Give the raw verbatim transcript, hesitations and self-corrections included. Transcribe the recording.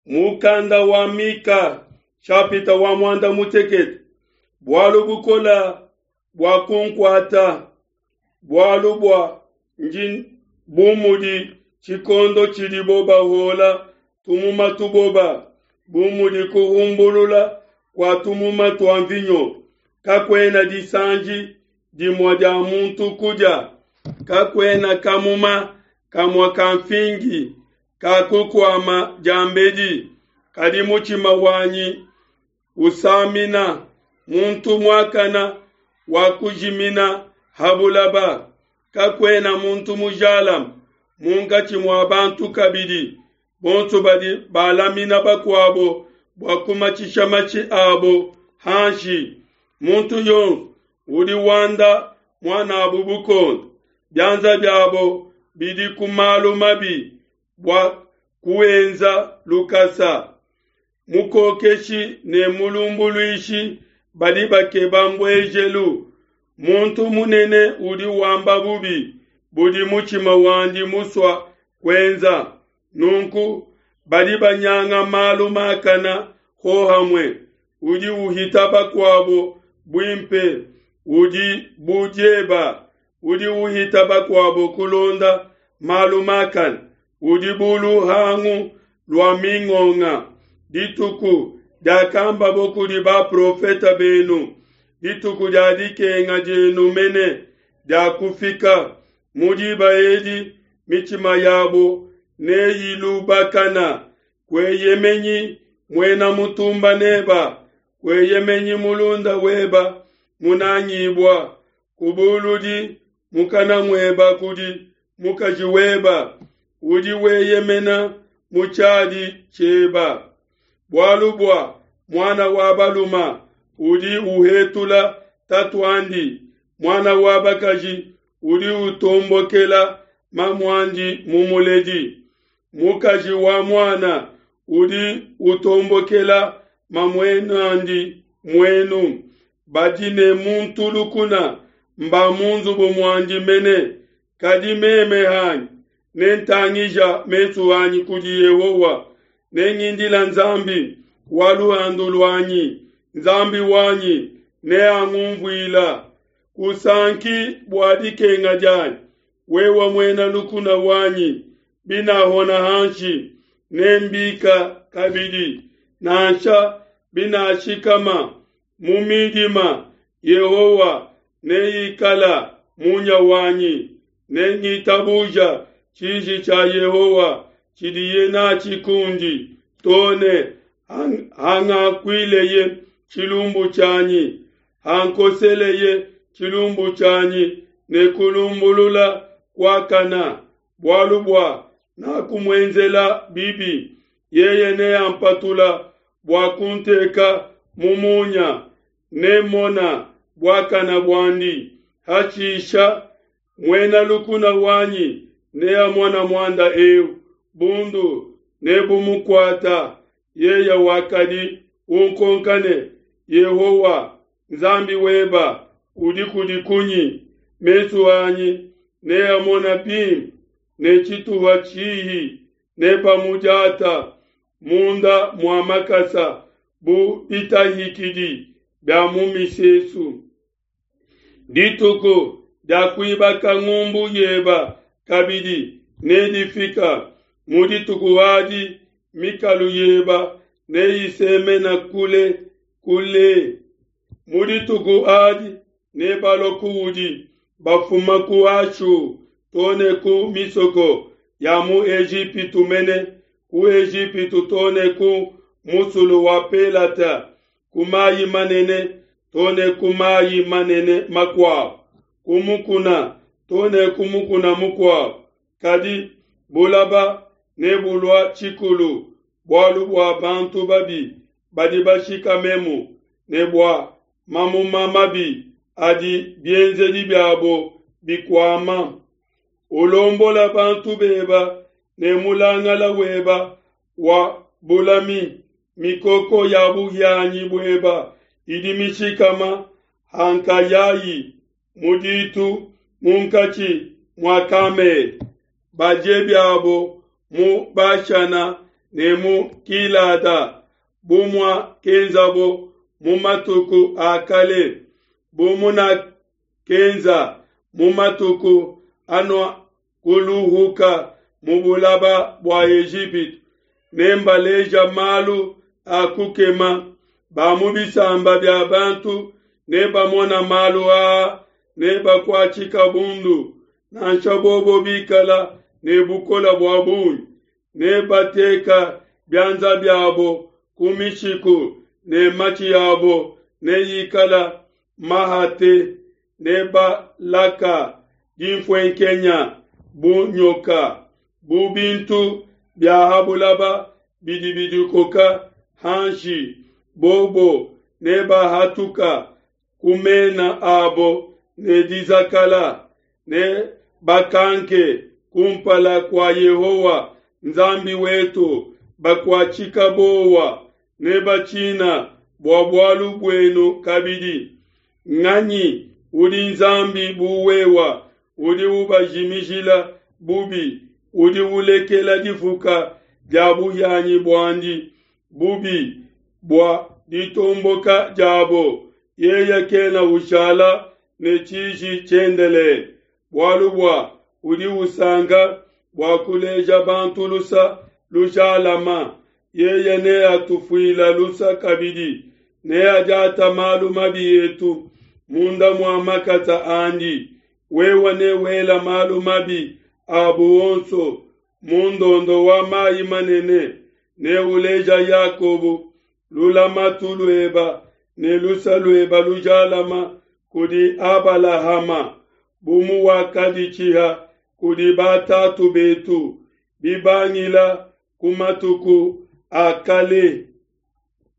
Mukanda wa Mika chapita wa mwanda mutekete. Bualu bukola bua kunkuata, bualu bua ndi bu mudi tshikondo tshidibo bahola tumuma tuboba, bu mudi kuhumbulula kua tumuma tua mvinyo. Kakuena disanji dimue dia muntu kudia, kakuena kamuma kamue ka nfingi ka kukuama diambedi. Kadi mutshima wanyi usamina muntu muakana wakujimina ha bulaba. Kakuena muntu mujalame munkatshi mua bantu kabidi, bonso badi balamina bakuabo bua kumatshisha matshi abo hanshi. Muntu yonso udi wanda muan'abu bukonde, bianza biabo bidi ku malu mabi bua kuenza lukasa. Mukokeshi ne mulumbuluishi badi bakeba mbuejelu. Muntu munene udi wamba bubi budi mutshima wandi musua kuenza. Nunku badi banyanga malu makana hohamue. Udi uhita bakuabo buimpe udi bu dieba, udi uhita bakuabo kulonda malu makana udi bu luhangu lua mingonga. Dituku diakambabo kudi baprofete benu, dituku dia dikenga dienu mene diakufika. Mu diba edi mitshima yabo neyilubakana. Kueyemenyi muena mutumba neba, kueyemenyi mulunda weba munangibua. Kubuludi mukana mueba kudi mukaji weba, udi weyemena mu tshiadi tshieba. Bualu bua muana wa baluma udi uhetula tatuandi, muana wa bakaji udi utombokela mamuandi mumuledi. Mukaji wa muana udi utombokela mamuenandi muenu. Badi ne muntu lukuna mba mu nzubu muandi mene. Kadi meme hanyi nentangija mesu anyi kudi Yehowa, nengindila Nzambi wa luhandu luanyi. Nzambi wanyi neangumvuila. Kusanki bua dikenga dianyi, wewe muena lukuna wanyi. Binahona hanshi, nembika kabidi, nansha binashikama mu midima, Yehowa neikala munya wanyi. Nengitabuja tshiji tshia Yehowa tshidiye natshi kundi, too ne hangakuileye tshilumbu tshianyi, hankoseleye tshilumbu tshianyi ne kulumbulula kuakana. Bualu bua nakumuenzela bibi, yeye neampatula bua kunteka mu munya. Nemona buakana buandi. Hashisha muena lukuna wanyi neamona muanda eu, bundu nebumukuata. Yeye wakadi unkonka ne, Yehowa Nzambi weba udi kudi kunyi? Mesu anyi neamona bimpe ne tshituha tshihi, nebamudiata munda mua makasa bu bitahikidi bia mu misesu. Dituku dia kuibaka ngumbu yeba kabidi nedifika. Mu dituku adi mikalu yeba neyisemena kule kule. Mu dituku adi nebalua kuudi bafuma ku Ashu too ne ku misoko ya mu Ejipitu mene, ku Ejipitu too ne ku musulu wa Pelata, ku mayi manene too ne ku mayi manene makuabo, ku mukuna too ne ku mukuna mukuabo. Kadi bulaba nebulua tshikulu bualu bua bantu babi badi bashikamemu, ne bua mamuma mabi adi bienzedi biabo bikuama. Ulombola bantu beba ne mulangala weba wa bulami, mikoko ya buhianyi bueba idi mishikama hankayayi mu ditu munkatshi mua Kamele. Badie biabo mu Bashana ne mu Gilada, bu muakenzabo mu matuku a kale, bu munakenza mu matuku anuakuluhuka mu bulaba bua Ejipitu. Nembaleja malu a kukema, ba mu bisamba bia bantu nebamona malu aa, nebakuatshika bundu, nansha bobo bikala ne bukole bua bungi. Nebateka bianza biabo ku mishiku ne matshi abo neikala mahate, nebalaka dinfuenkenya bu nyoka, bu bintu bia ha bulaba bidi bidikoka hanshi. Bobo nebahatuka ku mena abo ne dizakala, ne bakanke kumpala kua Yehowa Nzambi wetu, bakuatshika buowa, nebatshina bua bualu buenu kabidi. Nganyi udi Nzambi bu wewa, udi ubajimijila bubi, udi ulekela difuka dia buhianyi buandi bubi bua ditomboka diabo? Yeye kena ushala ne tshiji tshiendelele, bualu bua udi usanka bua kuleja bantu lusa lujalama. Yeye neatufuila lusa kabidi, neadiata malu mabi etu munda mua makasa andi. Wewe newela malu mabi abo onso mu ndondo wa mai manene, neuleja Yakobo lulamatu lueba ne lusa lueba lujalama kudi Abalahama, bu muwakaditshiha kudi batatu betu bibangila ku matuku a kale.